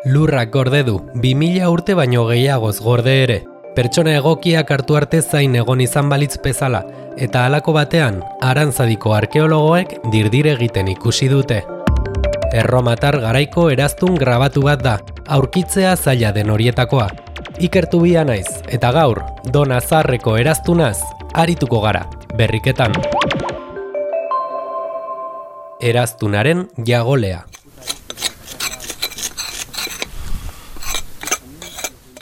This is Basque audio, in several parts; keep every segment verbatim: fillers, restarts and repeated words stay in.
Lurrak gorde du, bi mila urte baino gehiagoz gorde ere. Pertsona egokiak hartu arte zain egon izan balitz bezala, eta halako batean, Arantzadiko arkeologoek dirdir egiten ikusi dute. Erromatar garaiko eraztun grabatu bat da, aurkitzea zaila den horietakoa. Ikertu bia naiz, eta gaur, Dona Zaharreko eraztunaz, arituko gara, berriketan. Eraztunaren jagolea.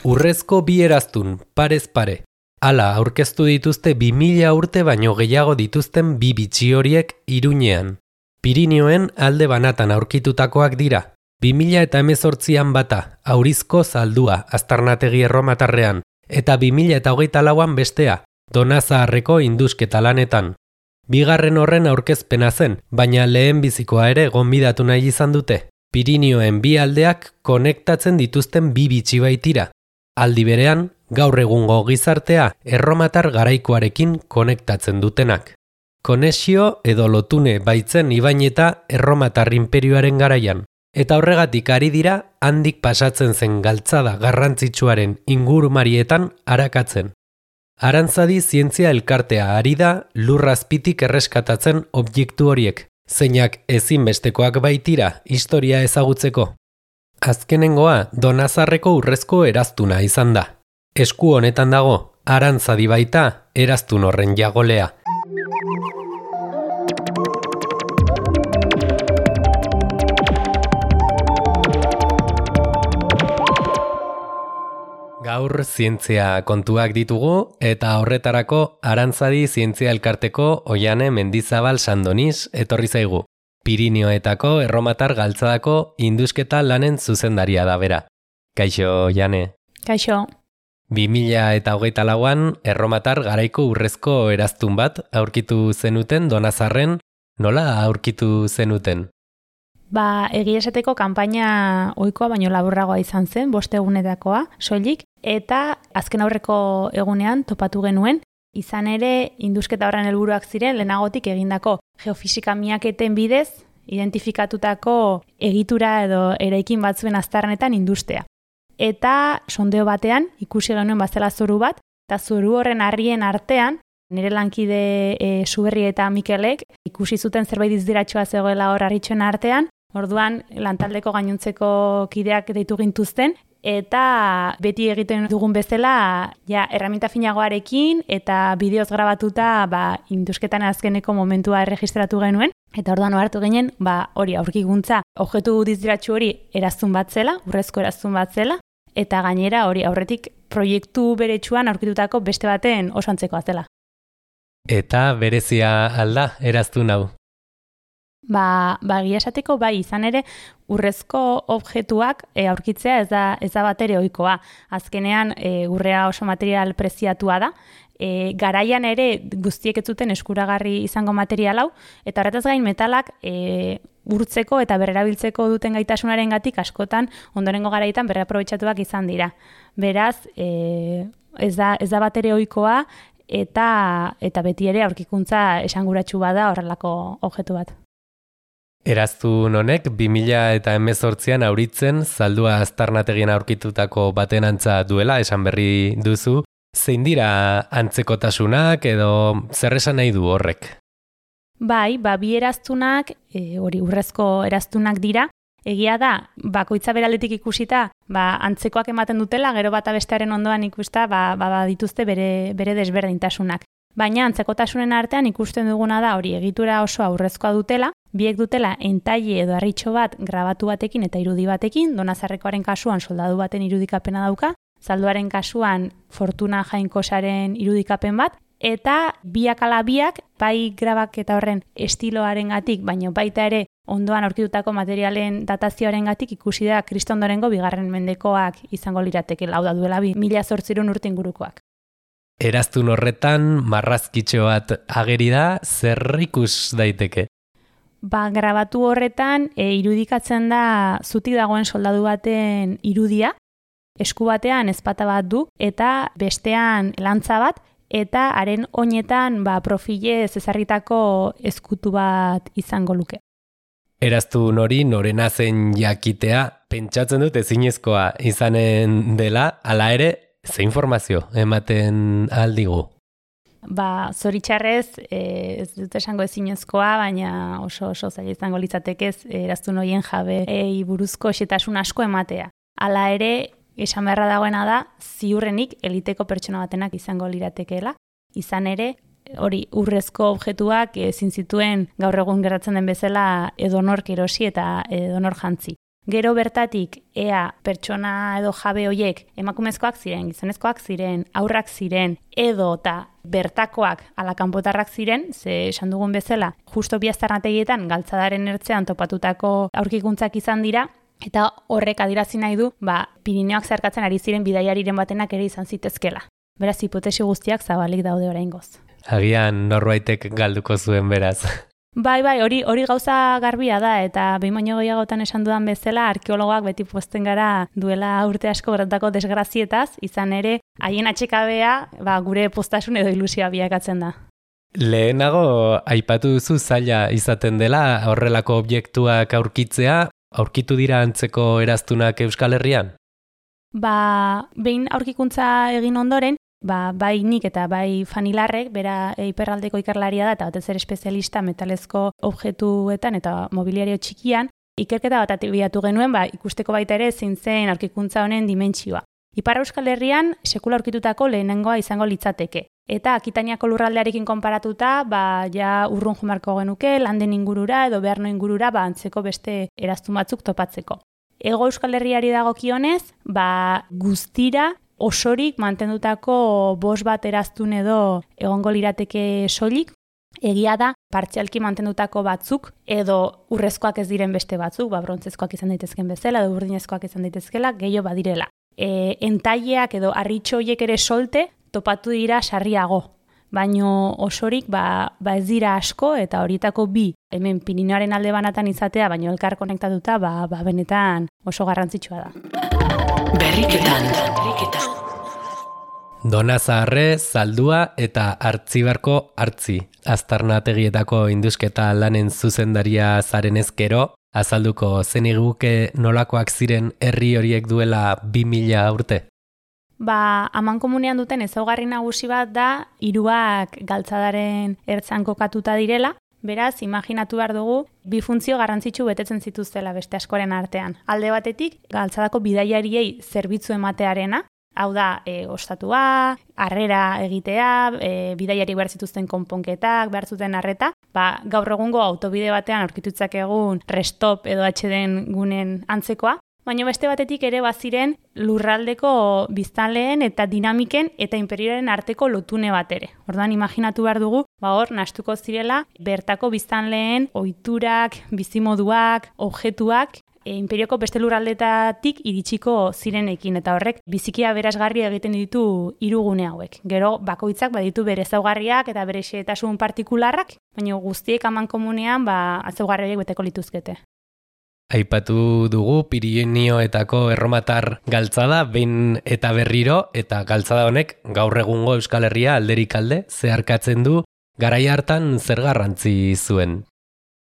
Urrezko bi eraztun, parez pare. Hala aurkeztu dituzte bi mila urte baino gehiago dituzten bi bitxi horiek Iruñean. Pirinioen alde banatan aurkitutakoak dira. bi mila eta hemezortzian bata, Aurizko zaldua, Aztarnategi Erromatarrean, eta bi mila eta hogeita lauan bestea, Dona Zaharreko indusketa lanetan. Bigarren horren aurkezpena zen, baina lehen bizikoa ere gonbidatu nahi izan dute. Pirinioen bi aldeak konektatzen dituzten bi bitxi baitira. Aldi berean, gaur egungo gizartea erromatar garaikoarekin konektatzen dutenak. Konexio edo lotune baitzen ibaineta erromatar inperioaren garaian, eta horregatik ari dira handik pasatzen zen galtzada garrantzitsuaren ingurumarietan arakatzen. Arantzadi zientzia elkartea ari da lurrazpitik erreskatatzen objektu horiek, zeinak ezinbestekoak baitira historia ezagutzeko. Azkenengoa Dona Zaharreko urrezko eraztuna izan da. Esku honetan dago, Arantzadi baita eraztun horren jagolea. Gaur zientzia kontuak ditugu eta horretarako Arantzadi zientzia elkarteko Oiane Mendizabal Sandoniz etorri zaigu. Pirinioetako erromatar galtzadako indusketa lanen zuzendaria da bera. Kaixo, Jane. Kaixo. bi mila eta hogeita lauan erromatar garaiko urrezko eraztun bat aurkitu zenuten Dona Zaharren, nola aurkitu zenuten? Ba, egia esateko kanpaina ohikoa baino laburragoa izan zen, bost egunetakoa, soilik, eta azken aurreko egunean topatu genuen, izan ere indusketa horren helburuak ziren lehenagotik egindako geofisika miaketen bidez identifikatutako egitura edo eraikin batzuen aztarnetan industea. Eta sondeo batean ikusi genuen bazela zoru bat, eta zoru horren harrien artean, nire lankide e, Suberri eta Mikelek ikusi zuten zerbait izdiratxoa zegoela hor harritxoen artean, orduan lantaldeko gainontzeko kideak deitu gintuzten, eta beti egiten dugun bezala ja, erraminta finagoarekin eta bideoz grabatuta ba, indusketan azkeneko momentua erregistratu genuen. Eta orduan hartu ginen, ba, hori aurkikuntza, objektu dizdiratxu hori eraztun bat zela, urrezko eraztun bat zela, eta gainera hori aurretik proiektu beretsuan aurkitutako beste baten oso antzekoa zela. Eta berezia alda eraztun hau? Ba, ba egia esateko bai izan ere urrezko objektuak e, aurkitzea ez da, ez da bat ere ohikoa. Azkenean e, urrea oso material preziatua da, e, garaian ere guztiek ez zuten eskuragarri izango material hau, eta horretaz gain metalak e, urtzeko eta berrerabiltzeko duten gaitasunarengatik askotan ondorengo garaitan berraprobetxatuak izan dira. Beraz, e, ez da, ez da bat ere ohikoa eta, eta beti ere aurkikuntza esanguratsu bada horrelako objektu bat. Eraztun honek bi mila eta hemezortzian auritzen zaldua aztarnategien aurkitutako baten antza duela esan berri duzu. Zein dira antzekotasunak edo zer esan nahi du horrek? Bai, ba, bi eraztunak, e, hori urrezko eraztunak dira. Egia da, bakoitza beraldetik ikusita, ba, antzekoak ematen dutela, gero bata bestearen ondoan ikusta, ba, ba, ba dituzte bere, bere desberdintasunak. Baina antzekotasunen artean ikusten duguna da hori egitura oso aurrezkoa dutela, biek dutela entaile edo harritxo bat grabatu batekin eta irudi batekin, Dona Zaharrekoaren kasuan soldadu baten irudikapena dauka, zalduaren kasuan Fortuna Jainkosaren irudikapen bat, eta biak ala biak, bai grabaketa horren estiloarengatik, baina baita ere ondoan aurkitutako materialen datazioarengatik ikusi da kristondorengo bigarren mendekoak izango lirateke, lau da duela bi mila zortziehun urte ingurukoak. Eraztun horretan marrazkitxo bat ageri da, zer ikus daiteke? Ba, grabatu horretan e, irudikatzen da zutik dagoen soldadu baten irudia, esku batean ezpata bat du, eta bestean lantza bat, eta haren oinetan ba, profilez ezarritako ezkutu bat izango luke. Eraztun hori norena zen jakitea, pentsatzen dut ezinezkoa izanen dela, hala ere, ze informazio ematen aldigu? Ba, zoritxarrez, e, ez dut esango ezinezkoa, baina oso oso zaila izango litzatekez eraztun horien jabeei buruzko xetasun asko ematea. Hala ere, esan beharra dagoena da, ziurrenik eliteko pertsona batenak izango liratekeela, izan ere, hori urrezko objektuak ezin zituen gaur egun gertatzen den bezala edonork erosi eta edonor jantzi. Gero bertatik, ea pertsona edo jabe hoiek emakumezkoak ziren, gizonezkoak ziren, aurrak ziren, edo eta bertakoak ala kanpotarrak ziren, ze esan dugun bezala, justo bi aztarnategietan galtzadaren ertzean topatutako aurkikuntzak izan dira, eta horrek adirazi nahi du, ba, Pirineoak zeharkatzen ari ziren bidaiariren batenak ere izan zitezkela. Beraz, hipotesi guztiak zabalik daude oraingoz. Agian norbaitek galduko zuen beraz. Bai, bai, hori hori gauza garbia da, eta behin baino gehiagotan esan dudan bezala, arkeologoak beti pozten gara duela urte asko gertatako desgrazietaz, izan ere, haien atxekabea ba, gure postasun edo ilusioa bilakatzen da. Lehenago, aipatu duzu zaila izaten dela horrelako objektuak aurkitzea, aurkitu dira antzeko eraztunak Euskal Herrian? Ba, behin aurkikuntza egin ondoren, Ba, bai nik eta bai Fanilarrek, bera iparraldeko ikerlaria da, eta batez ere espezialista metalezko objektuetan eta mobiliario txikian, ikerketa bat abiatu genuen, ba, ikusteko baita ere zein zen aurkikuntza honen dimentsioa. Ipar Euskal Herrian sekula aurkitutako lehenengoa izango litzateke. Eta Akitaniako lurraldearekin konparatuta, ba, ja urrun jumarko genuke, landen ingurura edo beharno ingurura, ba, antzeko beste eraztun batzuk topatzeko. Ego Euskal Herriari dagokionez, ba, guztira, osorik mantendutako bost bat eraztun edo egongo lirateke soilik, egia da partzialki mantendutako batzuk edo urrezkoak ez diren beste batzuk, ba brontzezkoak izan daitezken bezala edo urdinezkoak izan daitezkela, gehiago badirela. E, entaileak edo harritxo horiek ere solte topatu dira sarriago, baino osorik ba, ba ez dira asko eta horietako bi hemen Pirineoaren alde banatan izatea, baino elkar konektatuta ba, ba benetan oso garrantzitsua da. Berriketan, berriketan. Donazaharre, Zaldua eta Artzibarko Artzi. Aztarnategietako indusketa lanen zuzendaria zaren ezkero, azalduko zeniguke nolakoak ziren herri horiek duela bi mila urte? Ba, amankomunean duten ezaugarri nagusi bat da, hiruak galtzadaren ertzan kokatuta direla, beraz, imaginatu behar dugu, bi funtzio garrantzitsu betetzen zituztela beste askoren artean. Alde batetik, galtzadako bidaiariei zerbitzu ematearena, hau da, e, ostatua, harrera egitea, e, bidaiari behar zituzten konponketak, behar zuten harreta, ba, gaur egungo autobide batean aurkitutzak egun restop edo atxeden gunen antzekoa, baina beste batetik ere baziren lurraldeko biztanleen eta dinamiken eta imperioaren arteko lotune bat ere. Orduan imaginatu behar dugu, ba hor, nahastuko zirela, bertako biztanleen ohiturak, bizimoduak, objektuak, e, imperioko beste lurraldetatik iritsiko zirenekin, eta horrek bizikia berazgarri egiten ditu hirugune hauek. Gero, bakoitzak baditu bere ezaugarriak eta bere xehetasun partikularrak, baina guztiek amankomunean ba, ezaugarri horiek beteko lituzkete. Aipatu dugu Pirinioetako erromatar galtzada behin eta berriro, eta galtzada honek gaur egungo Euskal Herria alderik alde zeharkatzen du, garai hartan zer garrantzi zuen?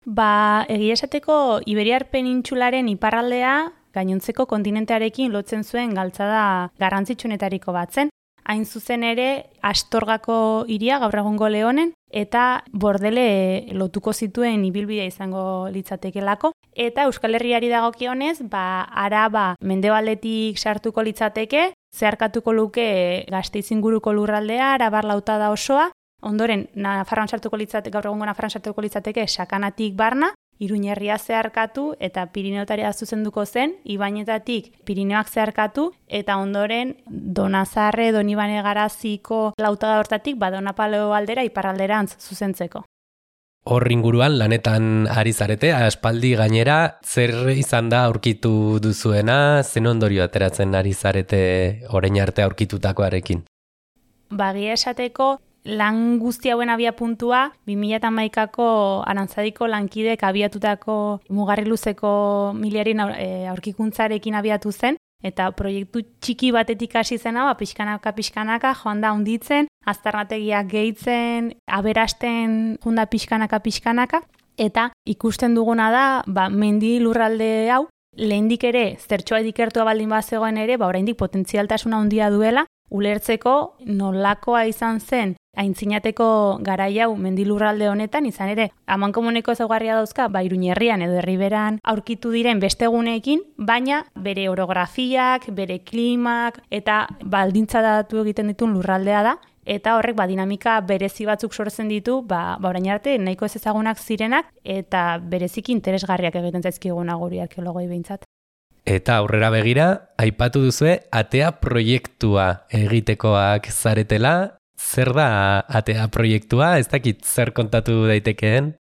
Ba, egia esateko Iberiar penintsularen iparraldea gainontzeko kontinentearekin lotzen zuen galtzada garrantzitsuenetariko bat zen. Hain zuzen ere Astorgako hiria gaur egungo Leonen eta Bordele lotuko zituen ibilbidea izango litzatekelako. Eta Euskal Herriari dagokionez, ba, Araba mendebaldetik sartuko litzateke, zeharkatuko luke Gasteiz inguruko lurraldea, Arabar lautada osoa, ondoren Nafarroan sartuko litzateke, gaur egungo Nafarroan sartuko litzateke Sakanatik barna, Iruñerria zeharkatu eta Pirineotaria zuzenduko zen, Ibainetatik Pirineoak zeharkatu eta ondoren Donazarre, Donibane Garaziko lautada hortatik Badonapaleo aldera iparralderantz zuzentzeko. Hor inguruan lanetan ari zarete, aspaldi gainera, zer izan da aurkitu duzuena, zen ondorio ateratzen ari zarete orain arte aurkitutakoarekin? Bagia esateko, lan guzti hauen abia puntua, bi mila hamaikako Arantzadiko lankidek abiatutako mugarri luzeko miliarin aurkikuntzarekin abiatu zen, eta proiektu txiki batetik hasi zena, ba, pixkanaka, pixkanaka, joan da hunditzen, aztarnategiak gehitzen, aberasten junda pixkanaka, pixkanaka, eta ikusten duguna da, ba, mendi lurralde hau, lehendik ere, zertxoa ikertua baldin bazegoen ere, ba, oraindik potentzialtasuna handia duela, ulertzeko nolakoa izan zen aintzinateko garai hau mendilurralde honetan, izan ere, amankomuneko ezaugarria dauzka, ba, Iruñerrian edo Herriberan aurkitu diren beste guneekin, baina bere orografiak, bere klimak eta baldintza datu egiten dituen lurraldea da, eta horrek ba, dinamika berezi batzuk sortzen ditu, ba, ba orain arte nahiko ez ezagunak zirenak, eta bereziki interesgarriak egiten zaizkiguna guri arkeologoi behintzat. Eta aurrera begira, aipatu duzue Atea proiektua egitekoak zaretela. Zer da Atea proiektua? Ez dakit zer kontatu daitekeen?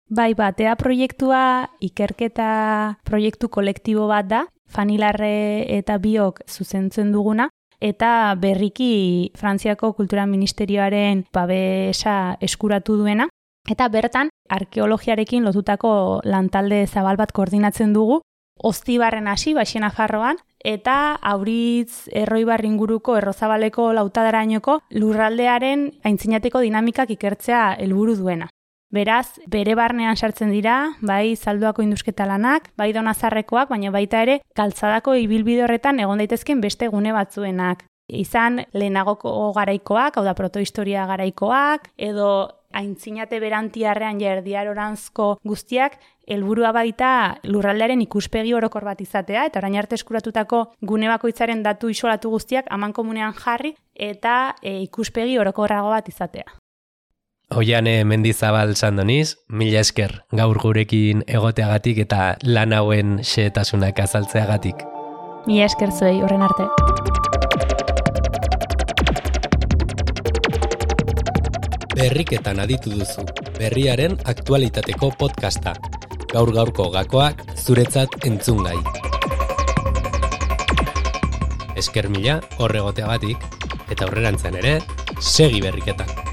Bai, ba, Atea proiektua ikerketa proiektu kolektibo bat da, Fanilarre eta biok zuzentzen duguna, eta berriki Frantziako Kultura Ministerioaren babesa eskuratu duena, eta bertan arkeologiarekin lotutako lantalde zabal bat koordinatzen dugu, Oztibarren hasi, Baxena Farroan, eta Auritz Erroibar inguruko Errozabaleko lautadarainoko lurraldearen aintzinateko dinamikak ikertzea helburu duena. Beraz, bere barnean sartzen dira, bai Zalduako indusketa lanak, bai Donazarrekoak, baina baita ere Galtzadako ibilbide horretan egon daitezken beste gune batzuenak. Izan lehenagoko garaikoak, hau da protohistoria garaikoak, edo aintzinate berantiarrean erdiaroranzko guztiak, helburua baita lurraldearen ikuspegi orokor bat izatea, eta orain arte eskuratutako gune bakoitzaren datu isolatu guztiak amankomunean jarri, eta e, ikuspegi orokorrago bat izatea. Oiane Mendizabal Sandoniz, mila esker gaur gurekin egoteagatik eta lan hauen xehetasunak azaltzeagatik. Mila esker zuei, horren arte. Berriketan aditu duzu, berriaren aktualitateko podcasta. Gaur gaurko gakoak zuretzat entzungai. Esker mila horregoteagatik, eta aurrerantzean ere, segi berriketan.